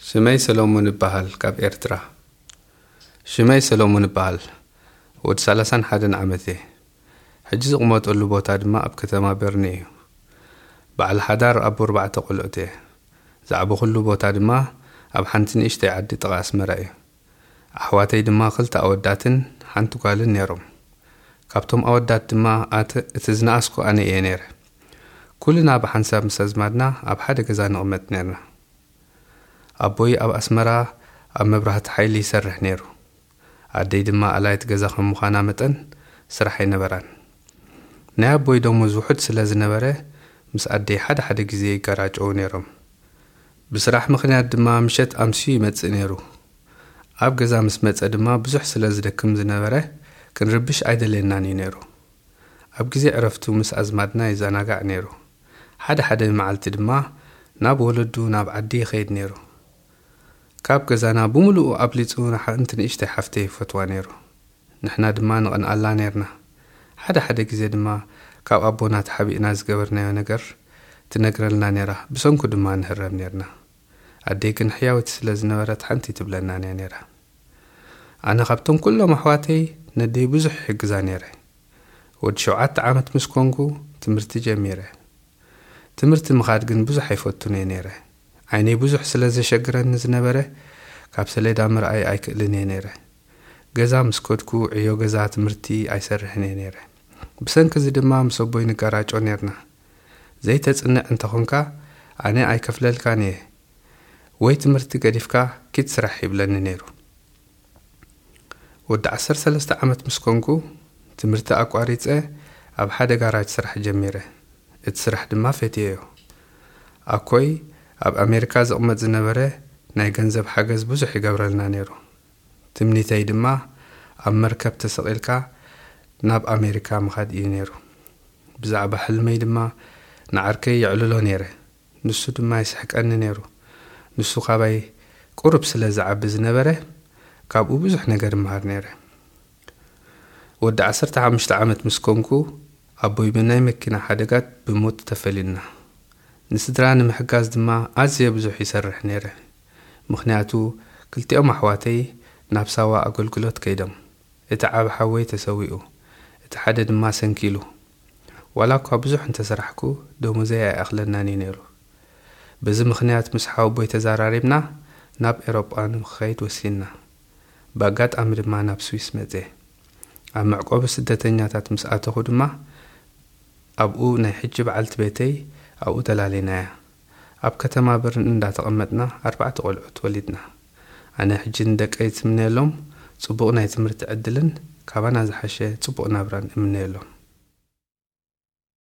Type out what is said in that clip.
ሽመይ ሰሎሙን እበሃል፣ ካብ ኤርትራ። ሽመይ ሰሎሙን እበሃል፣ ወዲ ሰላሳን ሓደን ዓመት እየ። ሕጂ ዝቕመጠሉ ቦታ ድማ ኣብ ከተማ በርኒ እዩ። በዓል ሓዳር ኣቦ ኣርባዕተ ቆልዑት እየ። ዝዓበኹሉ ቦታ ድማ ኣብ ሓንቲ ንእሽተይ ዓዲ ጥቓ ኣስመራ እዩ። ኣሕዋተይ ድማ ክልተ ኣወዳትን ሓንቲ ጓልን ነይሮም። ካብቶም ኣወዳት ድማ ኣተ-፣ እቲ ዝነኣስኩ ኣነ እየ ነይረ። ኩልና ብሓንሳብ ምስ ኣዝማድና ኣብ ሓደ ገዛ ንቕመጥ ነይርና። ኣቦይ ኣብ ኣስመራ ኣብ መብራህቲ ሓይሊ ይሰርሕ ነይሩ። ኣደይ ድማ ኣላይት ገዛ ከም ምዃና መጠን ስራሕ ኣይነበራን። ናይ ኣቦይ ደሞዝ ውሑድ ስለ ዝነበረ ምስ ኣደይ ሓደ ሓደ ግዜ ይጋራጨዉ ነይሮም። ብስራሕ ምኽንያት ድማ ምሸት ኣምስዩ ይመጽእ ነይሩ። ኣብ ገዛ ምስ መጸ ድማ ብዙሕ ስለ ዝደክም ዝነበረ ክንርብሽ ኣይደልየናን እዩ ነይሩ። ኣብ ግዜ ዕረፍቱ ምስ ኣዝማድና ይዘናጋዕ ነይሩ። ሓደ ሓደ መዓልቲ ድማ ናብ ወለዱ ናብ ዓዲ ይኸይድ ነይሩ። ካብ ገዛና ብምሉኡ ኣብሊጹ ንሓንቲ ንእሽተይ ሓፍተይ ይፈትዋ ነይሩ። ንሕና ድማ ንቐንኣላ ነይርና። ሓደ ሓደ ግዜ ድማ ካብ ኣቦና ተሓቢእና ዝገበርናዮ ነገር ትነግረልና ነይራ፣ ብሰንኩ ድማ ንህረም ነይርና። ኣደይ ግን ሕያወቲ ስለ ዝነበረት ሓንቲ ትብለናን እያ ነይራ። ኣነ ካብቶም ኩሎም ኣሕዋተይ ነደይ ብዙሕ ይሕግዛ ነይረ። ወዲ ሸውዓተ ዓመት ምስ ኮንኩ ትምህርቲ ጀሚረ። ትምህርቲ ምኻድ ግን ብዙሕ ኣይፈቱን እየ ነይረ። ዓይነይ ብዙሕ ስለ ዘሸግረኒ ዝነበረ ካብ ሰሌዳ ምርኣይ ኣይክእልን እየ ነይረ። ገዛ ምስ ከድኩ ዕዮ ገዛ ትምህርቲ ኣይሰርሕን እየ ነይረ። ብሰንኪ እዚ ድማ ምስ ኣቦይ ንጋራጮ ነይርና። ዘይተጽንዕ እንተኾንካ ኣነ ኣይከፍለልካን እየ፣ ወይ ትምህርቲ ገዲፍካ ኪድ ስራሕ ይብለኒ ነይሩ። ወዲ ዓሰርተ ሰለስተ ዓመት ምስ ኮንኩ ትምህርቲ ኣቋሪጸ ኣብ ሓደ ጋራጅ ስራሕ ጀሚረ። እቲ ስራሕ ድማ ፈትየዮ። ኣኮይ ኣብ ኣሜሪካ ዝቕመጥ ዝነበረ ናይ ገንዘብ ሓገዝ ብዙሕ ይገብረልና ነይሩ። ትምኒተይ ድማ ኣብ መርከብ ተሰቒልካ ናብ ኣሜሪካ ምኻድ እዩ ነይሩ። ብዛዕባ ሕልመይ ድማ ንዓርከይ የዕልሎ ነይረ። ንሱ ድማ ይስሕቀኒ ነይሩ። ንሱ ካባይ ቁሩብ ስለ ዝዓቢ ዝነበረ ካብኡ ብዙሕ ነገር እምሃር ነይረ። ወዲ ዓሰርተ ሓሙሽተ ዓመት ምስ ኮንኩ ኣቦይ ብናይ መኪና ሓደጋት ብሞት ተፈሊልና። ንስድራ ንምሕጋዝ ድማ ኣዝየ ብዙሕ ይሰርሕ ነይረ። ምኽንያቱ ክልቲኦም ኣሕዋተይ ናብ ሳዋ ኣገልግሎት ከይዶም። እቲ ዓቢ ሓወይ ተሰዊኡ፣ እቲ ሓደ ድማ ሰንኪሉ። ዋላ እኳ ብዙሕ እንተሰራሕኩ ደሞዘይ ኣይኣኽለናን እዩ ነይሩ። በዚ ምኽንያት ምስ ሓወቦይ ተዘራሪብና ናብ ኤሮጳ ንክኸይድ ወሲንና። ብኣጋጣሚ ድማ ናብ ስዊስ መጽየ። ኣብ መዕቆቢ ስደተኛታት ምስ ኣተኹ ድማ ኣብኡ ናይ ሕጂ በዓልቲ ቤተይ ኣብኡ ተላሊናያ። ኣብ ከተማ በርን እንዳተቐመጥና ኣርባዕተ ቆልዑት ወሊድና። ኣነ ሕጂ ንደቀይ ዝምነየሎም ጽቡቕ ናይ ትምህርቲ ዕድልን ካባና ዝሓሸ ጽቡቕ ናብራን እምነየሎም።